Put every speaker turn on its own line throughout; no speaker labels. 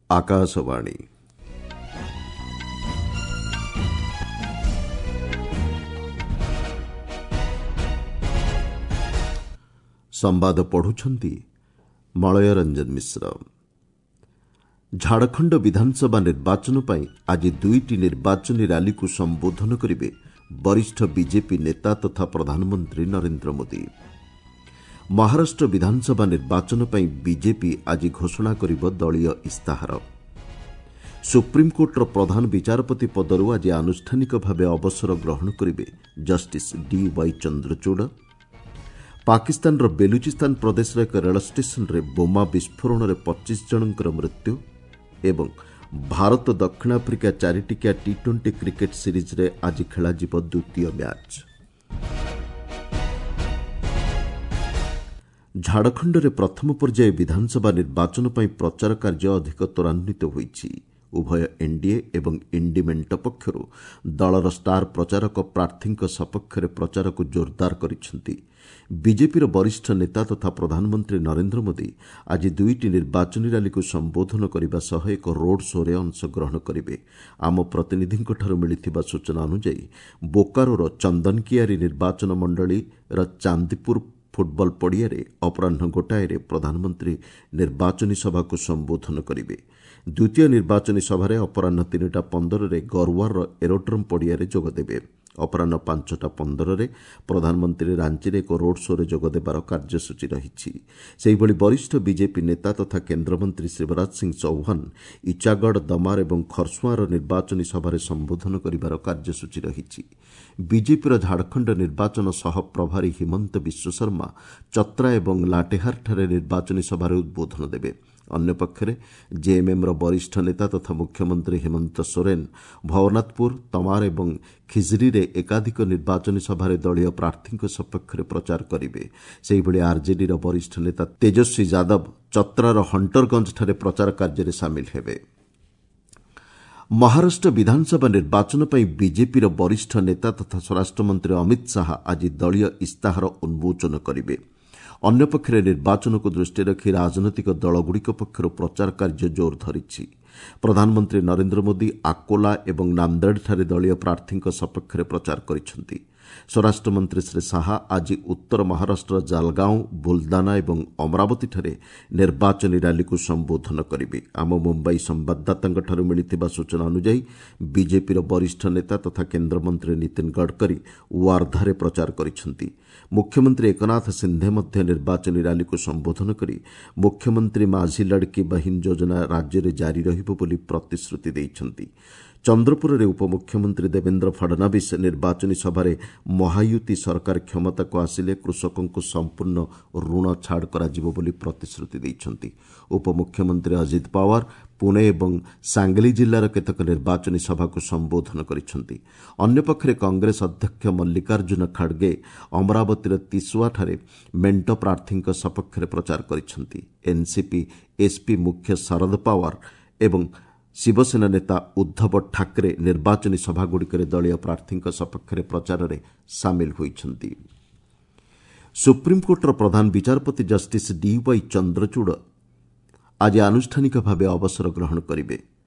ଆକାଶବାଣୀ। ସମ୍ବାଦ ପଢୁଛନ୍ତି ମଳୟ ରଞ୍ଜନ ମିଶ୍ର। ଝାଡ଼ଖଣ୍ଡ ବିଧାନସଭା ନିର୍ବାଚନ ପାଇଁ ଆଜି ଦୁଇଟି ନିର୍ବାଚନୀ ରାଲିକୁ ସମ୍ବୋଧନ କରିବେ ବରିଷ୍ଠ ବିଜେପି ନେତା ତଥା ପ୍ରଧାନମନ୍ତ୍ରୀ ନରେନ୍ଦ୍ର ମୋଦି। ମହାରାଷ୍ଟ୍ର ବିଧାନସଭା ନିର୍ବାଚନ ପାଇଁ ବିଜେପି ଆଜି ଘୋଷଣା କରିବ ଦଳୀୟ ଇସ୍ତାହାର। ସୁପ୍ରିମକୋର୍ଟର ପ୍ରଧାନ ବିଚାରପତି ପଦରୁ ଆଜି ଆନୁଷ୍ଠାନିକ ଭାବେ ଅବସର ଗ୍ରହଣ କରିବେ ଜଷ୍ଟିସ୍ ଡି ୱାଇ ଚନ୍ଦ୍ରଚୂଡ଼। ପାକିସ୍ତାନର ବେଲୁଚିସ୍ତାନ ପ୍ରଦେଶର ଏକ ରେଳ ଷ୍ଟେସନରେ ବୋମା ବିସ୍ଫୋରଣରେ 25 ଜଣଙ୍କର ମୃତ୍ୟୁ ଏବଂ ଭାରତ ଦକ୍ଷିଣ ଆଫ୍ରିକା ଚାରିଟିକିଆ ଟି ଟ୍ୱେଣ୍ଟି କ୍ରିକେଟ୍ ସିରିଜ୍ରେ ଆଜି ଖେଳାଯିବ ଦ୍ୱିତୀୟ ମ୍ୟାଚ୍। ଝାଡ଼ଖଣ୍ଡରେ ପ୍ରଥମ ପର୍ଯ୍ୟାୟ ବିଧାନସଭା ନିର୍ବାଚନ ପାଇଁ ପ୍ରଚାର କାର୍ଯ୍ୟ ଅଧିକ ତ୍ୱରାନ୍ୱିତ ହୋଇଛି। ଉଭୟ ଏନ୍ଡିଏ ଏବଂ ଇଣ୍ଡି ମେଣ୍ଟ ପକ୍ଷରୁ ଦଳର ଷ୍ଟାର ପ୍ରଚାରକ ପ୍ରାର୍ଥୀଙ୍କ ସପକ୍ଷରେ ପ୍ରଚାରକୁ ଜୋରଦାର କରିଛନ୍ତି। ବିଜେପିର ବରିଷ୍ଠ ନେତା ତଥା ପ୍ରଧାନମନ୍ତ୍ରୀ ନରେନ୍ଦ୍ର ମୋଦି ଆଜି ଦୁଇଟି ନିର୍ବାଚନୀ ରାଲିକୁ ସମ୍ବୋଧନ କରିବା ସହ ଏକ ରୋଡ୍ ଶୋ'ରେ ଅଂଶଗ୍ରହଣ କରିବେ। ଆମ ପ୍ରତିନିଧିଙ୍କଠାରୁ ମିଳିଥିବା ସୂଚନା ଅନୁଯାୟୀ ବୋକାରୋର ଚନ୍ଦନକିଆରୀ ନିର୍ବାଚନ ମଣ୍ଡଳୀର ଚାନ୍ଦିପୁର ଫୁଟବଲ ପଡ଼ିଆରେ ଅପରାହ୍ନ 1ଟାରେ ପ୍ରଧାନମନ୍ତ୍ରୀ ନିର୍ବାଚନୀ ସଭାକୁ ସମ୍ବୋଧନ କରିବେ। ଦ୍ୱିତୀୟ ନିର୍ବାଚନୀ ସଭାରେ ଅପରାହ୍ନ 3ଟା 15ରେ ଗରୱାର ଏରୋଡ୍ରମ୍ ପଡ଼ିଆରେ ଯୋଗଦେବେ। ଅପରାହ୍ନ 5ଟା 15ରେ ପ୍ରଧାନମନ୍ତ୍ରୀ ରାଞ୍ଚିରେ ଏକ ରୋଡ୍ ଶୋ'ରେ ଯୋଗଦେବାର କାର୍ଯ୍ୟସୂଚୀ ରହିଛି। ସେହିଭଳି ବରିଷ୍ଠ ବିଜେପି ନେତା ତଥା କେନ୍ଦ୍ରମନ୍ତ୍ରୀ ଶିବରାଜ ସିଂ ଚୌହାନ ଇଚାଗଡ଼, ଦମାର ଏବଂ ଖରସୁଆଁର ନିର୍ବାଚନୀ ସଭାରେ ସମ୍ବୋଧନ କରିବାର କାର୍ଯ୍ୟସୂଚୀ ରହିଛି। ବିଜେପିର ଝାଡ଼ଖଣ୍ଡ ନିର୍ବାଚନ ସହ ପ୍ରଭାରୀ ହିମନ୍ତ ବିଶ୍ୱଶର୍ମା ଚତ୍ରା ଏବଂ ଲାଟେହାରଠାରେ ନିର୍ବାଚନୀ ସଭାରେ ଉଦ୍ବୋଧନ ଦେବେ। ଅନ୍ୟପକ୍ଷରେ ଜେଏମ୍ଏମ୍ର ବରିଷ୍ଠ ନେତା ତଥା ମୁଖ୍ୟମନ୍ତ୍ରୀ ହେମନ୍ତ ସୋରେନ୍ ଭବନାଥପୁର, ତମାର ଏବଂ ଖିଜ୍ରିରେ ଏକାଧିକ ନିର୍ବାଚନୀ ସଭାରେ ଦଳୀୟ ପ୍ରାର୍ଥୀଙ୍କ ସପକ୍ଷରେ ପ୍ରଚାର କରିବେ। ସେହିଭଳି ଆର୍ଜେଡିର ବରିଷ୍ଠ ନେତା ତେଜସ୍ୱୀ ଯାଦବ ଚତ୍ରାର ହଣ୍ଟରଗଞ୍ଜଠାରେ ପ୍ରଚାର କାର୍ଯ୍ୟରେ ସାମିଲ ହେବେ। ମହାରାଷ୍ଟ୍ର ବିଧାନସଭା ନିର୍ବାଚନ ପାଇଁ ବିଜେପିର ବରିଷ୍ଠ ନେତା ତଥା ସ୍ୱରାଷ୍ଟ୍ରମନ୍ତ୍ରୀ ଅମିତ ଶାହା ଆଜି ଦଳୀୟ ଇସ୍ତାହାର ଉନ୍ମୋଚନ କରିବେ। ଅନ୍ୟପକ୍ଷରେ ନିର୍ବାଚନକୁ ଦୃଷ୍ଟିରେ ରଖି ରାଜନୈତିକ ଦଳଗୁଡ଼ିକ ପକ୍ଷରୁ ପ୍ରଚାର କାର୍ଯ୍ୟ ଜୋର ଧରିଛି। ପ୍ରଧାନମନ୍ତ୍ରୀ ନରେନ୍ଦ୍ର ମୋଦି ଆକୋଲା ଏବଂ ନାନ୍ଦେଡ଼ଠାରେ ଦଳୀୟ ପ୍ରାର୍ଥୀଙ୍କ ସପକ୍ଷରେ ପ୍ରଚାର କରିଛନ୍ତି। ସ୍ୱରାଷ୍ଟ୍ରମନ୍ତ୍ରୀ ଶ୍ରୀ ଶାହା ଆଜି ଉତ୍ତର ମହାରାଷ୍ଟ୍ରର ଜାଲଗାଓଁ, ବୁଲଦାନା ଏବଂ ଅମରାବତୀଠାରେ ନିର୍ବାଚନୀ ରାଲିକୁ ସମ୍ବୋଧନ କରିବେ। ଆମ ମୁମ୍ବାଇ ସମ୍ବାଦଦାତାଙ୍କଠାରୁ ମିଳିଥିବା ସୂଚନା ଅନୁଯାୟୀ ବିଜେପିର ବରିଷ୍ଠ ନେତା ତଥା କେନ୍ଦ୍ରମନ୍ତ୍ରୀ ନୀତିନ ଗଡ଼କରୀ ୱାର୍ଦ୍ଧାରେ ପ୍ରଚାର କରିଛନ୍ତି। ମୁଖ୍ୟମନ୍ତ୍ରୀ ଏକନାଥ ସିନ୍ଧେ ମଧ୍ୟ ନିର୍ବାଚନୀ ରାଲିକୁ ସମ୍ବୋଧନ କରି ମୁଖ୍ୟମନ୍ତ୍ରୀ ମାଝି ଲଡ଼କି ବହିନ ଯୋଜନା ରାଜ୍ୟରେ ଜାରି ରହିବ ବୋଲି ପ୍ରତିଶ୍ରୁତି ଦେଇଛନ୍ତି। ଚନ୍ଦ୍ରପୁରରେ ଉପମୁଖ୍ୟମନ୍ତ୍ରୀ ଦେବେନ୍ଦ୍ର ଫଡ଼ନାବିସ୍ ନିର୍ବାଚନୀ ସଭାରେ ମହାୟୁତି ସରକାର କ୍ଷମତାକୁ ଆସିଲେ କୃଷକଙ୍କୁ ସମ୍ପୂର୍ଣ୍ଣ ଋଣ ଛାଡ଼ କରାଯିବ ବୋଲି ପ୍ରତିଶ୍ରୁତି ଦେଇଛନ୍ତି। ଉପମୁଖ୍ୟମନ୍ତ୍ରୀ ଅଜିତ ପାୱାର ପୁଣେ ଏବଂ ସାଙ୍ଗଲି ଜିଲ୍ଲାର କେତେକ ନିର୍ବାଚନୀ ସଭାକୁ ସମ୍ବୋଧନ କରିଛନ୍ତି। ଅନ୍ୟପକ୍ଷରେ କଂଗ୍ରେସ ଅଧ୍ୟକ୍ଷ ମଲ୍ଲିକାର୍ଜୁନ ଖଡ଼ଗେ ଅମରାବତୀର ତିସୁଆଠାରେ ମେଣ୍ଟ ପ୍ରାର୍ଥୀଙ୍କ ସପକ୍ଷରେ ପ୍ରଚାର କରିଛନ୍ତି। ଏନ୍ସିପି ଏସ୍ପି ମୁଖ୍ୟ ଶରଦ ପାୱାର ଏବଂ ଶିବସେନା ନେତା ଉଦ୍ଧବ ଠାକରେ ନିର୍ବାଚନୀ ସଭାଗୁଡ଼ିକରେ ଦଳୀୟ ପ୍ରାର୍ଥୀଙ୍କ ସପକ୍ଷରେ ପ୍ରଚାରରେ ସାମିଲ ହୋଇଛନ୍ତି। ସୁପ୍ରିମକୋର୍ଟର ପ୍ରଧାନ ବିଚାରପତି ଜଷ୍ଟିସ୍ ଡି ୱାଇ ଚନ୍ଦ୍ରଚୂଡ଼ ଆଜି ଆନୁଷ୍ଠାନିକ ଭାବେ ଅବସର ଗ୍ରହଣ କରିବେ।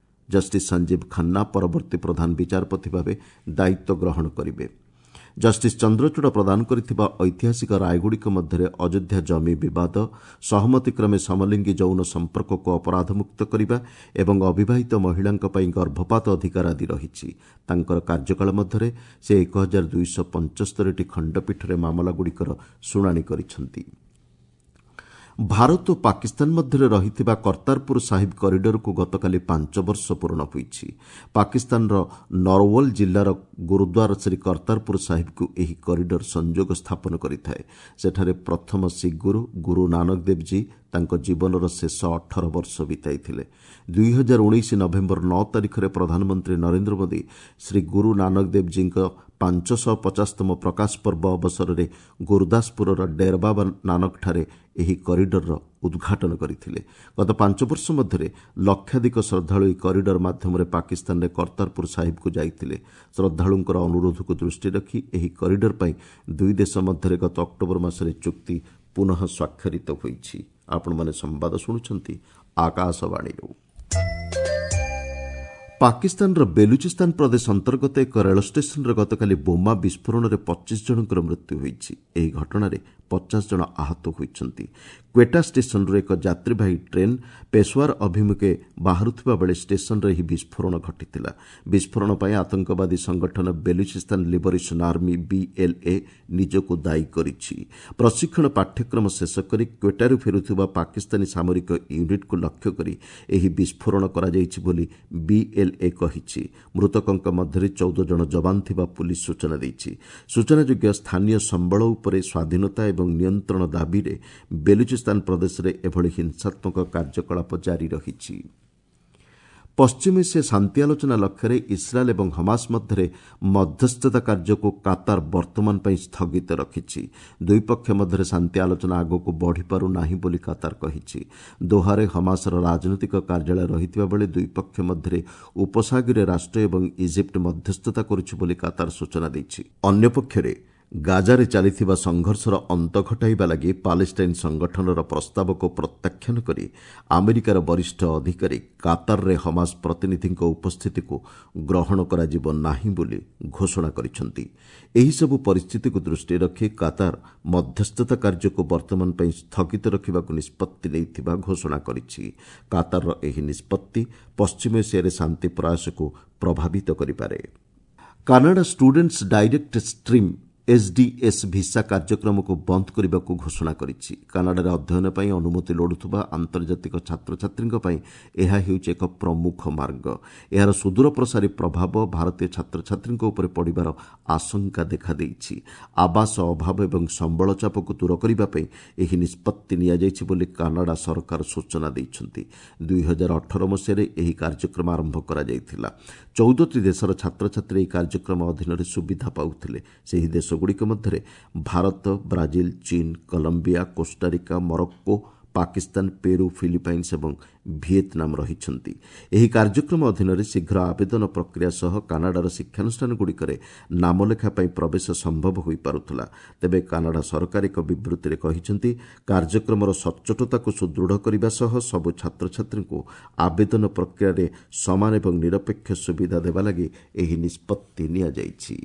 ଜଷ୍ଟିସ୍ ସଞ୍ଜୀବ ଖାନ୍ନା ପରବର୍ତ୍ତୀ ପ୍ରଧାନ ବିଚାରପତି ଭାବେ ଦାୟିତ୍ୱ ଗ୍ରହଣ କରିବେ। ଜଷ୍ଟିସ୍ ଚନ୍ଦ୍ରଚୂଡ଼ ପ୍ରଦାନ କରିଥିବା ଐତିହାସିକ ରାୟଗୁଡ଼ିକ ମଧ୍ୟରେ ଅଯୋଧ୍ୟା ଜମି ବିବାଦ, ସହମତିକ୍ରମେ ସମଲିଙ୍ଗୀ ଯୌନ ସମ୍ପର୍କକୁ ଅପରାଧମୁକ୍ତ କରିବା ଏବଂ ଅବିବାହିତ ମହିଳାଙ୍କ ପାଇଁ ଗର୍ଭପାତ ଅଧିକାର ଆଦି ରହିଛି। ତାଙ୍କର କାର୍ଯ୍ୟକାଳ ମଧ୍ୟରେ ସେ 1275ଟି ଖଣ୍ଡପୀଠରେ ମାମଲାଗୁଡ଼ିକର ଶୁଣାଣି କରିଛନ୍ତି। ଭାରତ ଓ ପାକିସ୍ତାନ ମଧ୍ୟରେ ରହିଥିବା କର୍ତ୍ତାରପୁର ସାହିବ କରିଡରକୁ ଗତକାଲି 5 ବର୍ଷ ପୂରଣ ହୋଇଛି। ପାକିସ୍ତାନର ନରଓ୍ୱଲ ଜିଲ୍ଲାର ଗୁରୁଦ୍ୱାର ଶ୍ରୀ କର୍ତ୍ତାରପୁର ସାହିବକୁ ଏହି କରିଡର ସଂଯୋଗ ସ୍ଥାପନ କରିଥାଏ। ସେଠାରେ ପ୍ରଥମ ଶିଖ୍ ଗୁରୁ ଗୁରୁ ନାନକ ଦେବଜୀ ତାଙ୍କ ଜୀବନର ଶେଷ 18 ବର୍ଷ ବିତାଇଥିଲେ। 2019 ନଭେମ୍ବର 9 ତାରିଖରେ ପ୍ରଧାନମନ୍ତ୍ରୀ ନରେନ୍ଦ୍ର ମୋଦି ଶ୍ରୀ ଗୁରୁ ନାନକ ଦେବଜୀଙ୍କ 550ତମ ପ୍ରକାଶ ପର୍ବ ଅବସରରେ ଗୁରୁଦାସପୁରର ଡେରବାବା ନାନକଠାରେ ଏହି କରିଡରର ଉଦ୍ଘାଟନ କରିଥିଲେ। ଗତ 5 ବର୍ଷ ମଧ୍ୟରେ ଲକ୍ଷାଧିକ ଶ୍ରଦ୍ଧାଳୁ ଏହି କରିଡର ମାଧ୍ୟମରେ ପାକିସ୍ତାନରେ କର୍ତ୍ତାରପୁର ସାହିବକୁ ଯାଇଥିଲେ। ଶ୍ରଦ୍ଧାଳୁଙ୍କର ଅନୁରୋଧକୁ ଦୃଷ୍ଟିରେ ରଖି ଏହି କରିଡର ପାଇଁ ଦୁଇ ଦେଶ ମଧ୍ୟରେ ଗତ ଅକ୍ଟୋବର ମାସରେ ଚୁକ୍ତି ପୁନଃ ସ୍ୱାକ୍ଷରିତ ହୋଇଛି। ଆପଣମାନେ ସମ୍ବାଦ ଶୁଣୁଛନ୍ତି ଆକାଶବାଣୀରୁ। ପାକିସ୍ତାନର ବେଲୁଚିସ୍ତାନ ପ୍ରଦେଶ ଅନ୍ତର୍ଗତ ଏକ ରେଳ ଷ୍ଟେସନରେ ଗତକାଲି ବୋମା ବିସ୍ଫୋରଣରେ 25 ଜଣଙ୍କର ମୃତ୍ୟୁ ହୋଇଛି। ଏହି ଘଟଣାରେ 50 ଜଣ ଆହତ ହୋଇଛନ୍ତି। କ୍ୱେଟା ଷ୍ଟେସନରୁ ଏକ ଯାତ୍ରୀବାହୀ ଟ୍ରେନ୍ ପେଶୱାର ଅଭିମୁଖେ ବାହାରୁଥିବା ବେଳେ ଷ୍ଟେସନରେ ଏହି ବିସ୍ଫୋରଣ ଘଟିଥିଲା। ବିସ୍ଫୋରଣ ପାଇଁ ଆତଙ୍କବାଦୀ ସଂଗଠନ ବେଲୁଚିସ୍ତାନ ଲିବରେସନ୍ ଆର୍ମି ବିଏଲ୍ଏ ନିଜକୁ ଦାୟୀ କରିଛି। ପ୍ରଶିକ୍ଷଣ ପାଠ୍ୟକ୍ରମ ଶେଷ କରି କ୍ୱେଟାରୁ ଫେରୁଥିବା ପାକିସ୍ତାନୀ ସାମରିକ ୟୁନିଟ୍କୁ ଲକ୍ଷ୍ୟ କରି ଏହି ବିସ୍ଫୋରଣ କରାଯାଇଛି ବୋଲି ବିଏଲ୍ଏ କହିଛି। ମୃତକଙ୍କ ମଧ୍ୟରେ 14 ଜଣ ଯବାନ ଥିବା ପୁଲିସ୍ ସୂଚନା ଦେଇଛି। ସୂଚନାଯୋଗ୍ୟ, ସ୍ଥାନୀୟ ସମ୍ବଳ ଉପରେ ସ୍ୱାଧୀନତା ଏବଂ ନିୟନ୍ତ୍ରଣ ଦାବିରେ ବେଲୁଚିସ୍ତାନ ପ୍ରଦେଶରେ ଏଭଳି ହିଂସାତ୍ମକ କାର୍ଯ୍ୟକଳାପ ଜାରି ରହିଛି। ପଶ୍ଚିମ ଏସିଆ ଶାନ୍ତି ଆଲୋଚନା ଲକ୍ଷ୍ୟରେ ଇସ୍ରାଏଲ୍ ଏବଂ ହମାସ ମଧ୍ୟରେ ମଧ୍ୟସ୍ଥତା କାର୍ଯ୍ୟକୁ କାତାର ବର୍ତ୍ତମାନ ପାଇଁ ସ୍ଥଗିତ ରଖିଛି। ଦୁଇ ପକ୍ଷ ମଧ୍ୟରେ ଶାନ୍ତି ଆଲୋଚନା ଆଗକୁ ବଢ଼ିପାରୁ ନାହିଁ ବୋଲି କାତାର କହିଛି। ଦୋହାରେ ହମାସର ରାଜନୈତିକ କାର୍ଯ୍ୟାଳୟ ରହିଥିବା ବେଳେ ଦୁଇ ପକ୍ଷ ମଧ୍ୟରେ ଉପସାଗରୀୟ ରାଷ୍ଟ୍ର ଏବଂ ଇଜିପ୍ଟ ମଧ୍ୟସ୍ଥତା କରୁଛି ବୋଲି କାତାର ସୂଚନା ଦେଇଛି। ଅନ୍ୟପକ୍ଷରେ ଗାଜାରେ ଚାଲିଥିବା ସଂଘର୍ଷର ଅନ୍ତ ଘଟାଇବା ଲାଗି ପାଲେଷ୍ଟାଇନ୍ ସଂଗଠନର ପ୍ରସ୍ତାବକୁ ପ୍ରତ୍ୟାଖ୍ୟାନ କରି ଆମେରିକାର ବରିଷ୍ଠ ଅଧିକାରୀ କାତାରରେ ହମାସ ପ୍ରତିନିଧିଙ୍କ ଉପସ୍ଥିତିକୁ ଗ୍ରହଣ କରାଯିବ ନାହିଁ ବୋଲି ଘୋଷଣା କରିଛନ୍ତି। ଏହିସବୁ ପରିସ୍ଥିତିକୁ ଦୃଷ୍ଟିରେ ରଖି କାତାର ମଧ୍ୟସ୍ଥତା କାର୍ଯ୍ୟକୁ ବର୍ତ୍ତମାନ ପାଇଁ ସ୍ଥଗିତ ରଖିବାକୁ ନିଷ୍ପତ୍ତି ନେଇଥିବା ଘୋଷଣା କରିଛି। କାତାରର ଏହି ନିଷ୍ପତ୍ତି ପଶ୍ଚିମ ଏସିଆରେ ଶାନ୍ତି ପ୍ରୟାସକୁ ପ୍ରଭାବିତ କରିପାରେ। Canada students direct stream SDS visa କାର୍ଯ୍ୟକ୍ରମକୁ ବନ୍ଦ କରିବାକୁ ଘୋଷଣା କରିଛି। କାନାଡାରେ ଅଧ୍ୟୟନ ପାଇଁ ଅନୁମତି ଲୋଡୁଥିବା ଆନ୍ତର୍ଜାତିକ ଛାତ୍ରଛାତ୍ରୀଙ୍କ ପାଇଁ ଏହା ହେଉଛି ଏକ ପ୍ରମୁଖ ମାର୍ଗ। ଏହାର ସୁଦୂରପ୍ରସାରୀ ପ୍ରଭାବ ଭାରତୀୟ ଛାତ୍ରଛାତ୍ରୀଙ୍କ ଉପରେ ପଡ଼ିବାର ଆଶଙ୍କା ଦେଖାଦେଇଛି। ଆବାସ ଅଭାବ ଏବଂ ସମ୍ବଳ ଚାପକୁ ଦୂର କରିବା ପାଇଁ ଏହି ନିଷ୍ପତ୍ତି ନିଆଯାଇଛି ବୋଲି କାନାଡା ସରକାର ସୂଚନା ଦେଇଛନ୍ତି। 2018 ମସିହାରେ ଏହି କାର୍ଯ୍ୟକ୍ରମ ଆରମ୍ଭ କରାଯାଇଥିଲା। 14ଟି ଦେଶର ଛାତ୍ରଛାତ୍ରୀ ଏହି କାର୍ଯ୍ୟକ୍ରମ ଅଧୀନରେ ସୁବିଧା ପାଉଥିଲେ। ସେହି ଦେଶଗୁଡ଼ିକ ମଧ୍ୟରେ ଭାରତ, ବ୍ରାଜିଲ, ଚୀନ, Colombia, Costa Rica, Morocco, Pakistan, Peru, Philippines ଏବଂ ଭିଏତନାମ ରହିଛନ୍ତି। ଏହି କାର୍ଯ୍ୟକ୍ରମ ଅଧୀନରେ ଶୀଘ୍ର ଆବେଦନ ପ୍ରକ୍ରିୟା ସହ କାନାଡାର ଶିକ୍ଷାନୁଷ୍ଠାନଗୁଡ଼ିକରେ ନାମଲେଖା ପାଇଁ ପ୍ରବେଶ ସମ୍ଭବ ହୋଇପାରୁଥିଲା। ତେବେ କାନାଡା ସରକାର ଏକ ବିବୃତ୍ତିରେ କହିଛନ୍ତି, କାର୍ଯ୍ୟକ୍ରମର ସଚ୍ଚୋଟତାକୁ ସୁଦୃଢ଼ କରିବା ସହ ସବୁ ଛାତ୍ରଛାତ୍ରୀଙ୍କୁ ଆବେଦନ ପ୍ରକ୍ରିୟାରେ ସମାନ ଏବଂ ନିରପେକ୍ଷ ସୁବିଧା ଦେବା ଲାଗି ଏହି ନିଷ୍ପତ୍ତି ନିଆଯାଇଛି।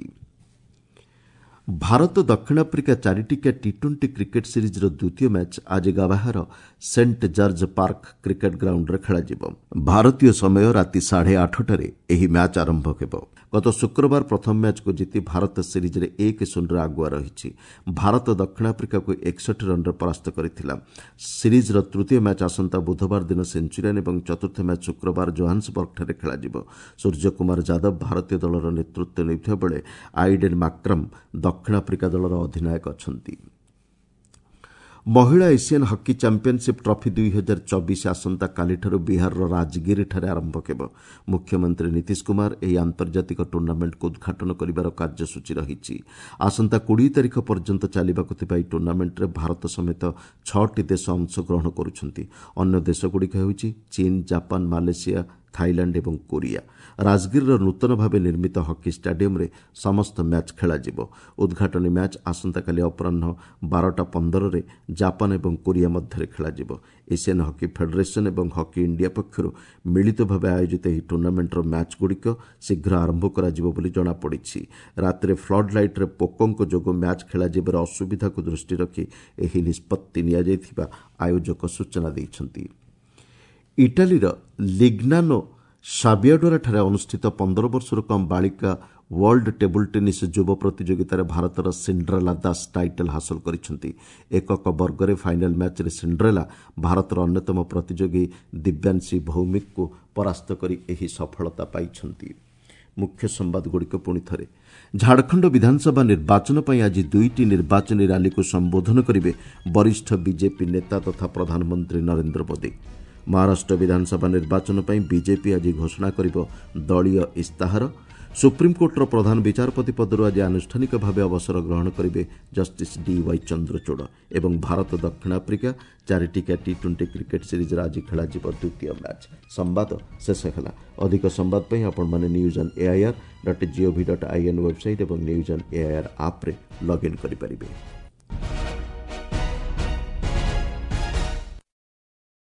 ଭାରତ ଦକ୍ଷିଣ ଆଫ୍ରିକା 4ଟିକିଆ ଟି-20 କ୍ରିକେଟ୍ ସିରିଜ୍ର ଦ୍ୱିତୀୟ ମ୍ୟାଚ୍ ଆଜି ଗାବାହାର ସେଣ୍ଟ ଜର୍ଜ ପାର୍କ କ୍ରିକେଟ୍ ଗ୍ରାଉଣ୍ଡରେ ଖେଳାଯିବ। ଭାରତୀୟ ସମୟ ରାତି 8:30ରେ ଏହି ମ୍ୟାଚ୍ ଆରମ୍ଭ ହେବ। ଗତ ଶୁକ୍ରବାର ପ୍ରଥମ ମ୍ୟାଚ୍କୁ ଜିତି ଭାରତ ସିରିଜ୍ରେ 1-0ରେ ଆଗୁଆ ରହିଛି। ଭାରତ ଦକ୍ଷିଣ ଆଫ୍ରିକାକୁ 61 ରନ୍ରେ ପରାସ୍ତ କରିଥିଲା। ସିରିଜ୍ର ତୃତୀୟ ମ୍ୟାଚ୍ ଆସନ୍ତା ବୁଧବାର ଦିନ ସେଞ୍ଚୁରିଆନ୍ ଏବଂ ଚତୁର୍ଥ ମ୍ୟାଚ୍ ଶୁକ୍ରବାର ଜୋହାନ୍ସବର୍ଗଠାରେ ଖେଳାଯିବ। ସୂର୍ଯ୍ୟକୁମାର ଯାଦବ ଭାରତୀୟ ଦଳର ନେତୃତ୍ୱ ନେଉଥିବା ବେଳେ ଆଇଡେନ୍ ମାକ୍ରମ୍ ଦକ୍ଷିଣ ଆଫ୍ରିକା ଦଳର ଅଧିନାୟକ ଅଛନ୍ତି। ମହିଳା ଏସିଆନ୍ ହକି ଚାମ୍ପିୟନସିପ୍ ଟ୍ରଫି 2024 ଆସନ୍ତାକାଲିଠାରୁ ବିହାରର ରାଜଗିରିଠାରେ ଆରମ୍ଭ ହେବ। ମୁଖ୍ୟମନ୍ତ୍ରୀ ନୀତିଶ କୁମାର ଏହି ଆନ୍ତର୍ଜାତିକ ଟୁର୍ଣ୍ଣାମେଣ୍ଟକୁ ଉଦ୍ଘାଟନ କରିବାର କାର୍ଯ୍ୟସୂଚୀ ରହିଛି। ଆସନ୍ତା 20 ତାରିଖ ପର୍ଯ୍ୟନ୍ତ ଚାଲିବାକୁ ଥିବା ଏହି ଟୁର୍ଣ୍ଣାମେଣ୍ଟରେ ଭାରତ ସମେତ 6ଟି ଦେଶ ଅଂଶଗ୍ରହଣ କରୁଛନ୍ତି। ଅନ୍ୟ ଦେଶଗୁଡ଼ିକ ହେଉଛି ଚୀନ, ଜାପାନ, ମାଲେସିଆ, ଥାଇଲାଣ୍ଡ ଏବଂ କୋରିଆ। ରାଜଗିରିର ନୂତନ ଭାବେ ନିର୍ମିତ ହକି ଷ୍ଟାଡିୟମରେ ସମସ୍ତ ମ୍ୟାଚ୍ ଖେଳାଯିବ। ଉଦ୍ଘାଟନୀ ମ୍ୟାଚ୍ ଆସନ୍ତାକାଲି ଅପରାହ୍ନ 12:15ରେ ଜାପାନ ଏବଂ କୋରିଆ ମଧ୍ୟରେ ଖେଳାଯିବ। ଏସିଆନ୍ ହକି ଫେଡେରେସନ୍ ଏବଂ ହକି ଇଣ୍ଡିଆ ପକ୍ଷରୁ ମିଳିତ ଭାବେ ଆୟୋଜିତ ଏହି ଟୁର୍ଣ୍ଣାମେଣ୍ଟର ମ୍ୟାଚ୍ଗୁଡ଼ିକ ଶୀଘ୍ର ଆରମ୍ଭ କରାଯିବ ବୋଲି ଜଣାପଡ଼ିଛି। ରାତିରେ ଫ୍ଲଡ୍ ଲାଇଟ୍ରେ ପୋକଙ୍କ ଯୋଗୁଁ ମ୍ୟାଚ୍ ଖେଳାଯିବାରେ ଅସୁବିଧାକୁ ଦୃଷ୍ଟିରେ ରଖି ଏହି ନିଷ୍ପତ୍ତି ନିଆଯାଇଥିବା ଆୟୋଜକ ସୂଚନା ଦେଇଛନ୍ତି। ଇଟାଲୀର ଲିଗ୍ନାନୋ ସାବିଆଡୋରାଠାରେ ଅନୁଷ୍ଠିତ 15 ବର୍ଷରୁ କମ୍ ବାଳିକା ୱାର୍ଲଡ ଟେବୁଲ୍ ଟେନିସ୍ ଯୁବ ପ୍ରତିଯୋଗିତାରେ ଭାରତର ସିଣ୍ଡ୍ରେଲା ଦାସ ଟାଇଟଲ୍ ହାସଲ କରିଛନ୍ତି। ଏକକ ବର୍ଗରେ ଫାଇନାଲ୍ ମ୍ୟାଚ୍ରେ ସିଣ୍ଡ୍ରେଲା ଭାରତର ଅନ୍ୟତମ ପ୍ରତିଯୋଗୀ ଦିବ୍ୟାଂଶୀ ଭୌମିକଙ୍କୁ ପରାସ୍ତ କରି ଏହି ସଫଳତା ପାଇଛନ୍ତି। ମୁଖ୍ୟ ସମ୍ବାଦଗୁଡ଼ିକ ପୁଣି ଥରେ। ଝାଡ଼ଖଣ୍ଡ ବିଧାନସଭା ନିର୍ବାଚନ ପାଇଁ ଆଜି 2ଟି ନିର୍ବାଚନୀ ରାଲିକୁ ସମ୍ବୋଧନ କରିବେ ବରିଷ୍ଠ ବିଜେପି ନେତା ତଥା ପ୍ରଧାନମନ୍ତ୍ରୀ ନରେନ୍ଦ୍ର ମୋଦି। ମହାରାଷ୍ଟ୍ର ବିଧାନସଭା ନିର୍ବାଚନ ପାଇଁ ବିଜେପି ଆଜି ଘୋଷଣା କରିବ ଦଳୀୟ ଇସ୍ତାହାର। ସୁପ୍ରିମକୋର୍ଟର ପ୍ରଧାନ ବିଚାରପତି ପଦରୁ ଆଜି ଆନୁଷ୍ଠାନିକ ଭାବେ ଅବସର ଗ୍ରହଣ କରିବେ ଜଷ୍ଟିସ୍ ଡିୱାଇ ଚନ୍ଦ୍ରଚୂଡ଼। ଏବଂ ଭାରତ ଦକ୍ଷିଣ ଆଫ୍ରିକା 4ଟିକିଆ ଟି-20 କ୍ରିକେଟ୍ ସିରିଜ୍ର ଆଜି ଖେଳାଯିବ ଦ୍ୱିତୀୟ ମ୍ୟାଚ୍। ସମ୍ବାଦ ଶେଷ ହେଲା। ଅଧିକ ସମ୍ବାଦ ପାଇଁ ଆପଣମାନେ news on AIR.gov.in website ଏବଂ ନ୍ୟୁଜ୍ ଅନ୍ ଏଆଇଆର୍ ଆପ୍ରେ ଲଗ୍ଇନ୍ କରିପାରିବେ।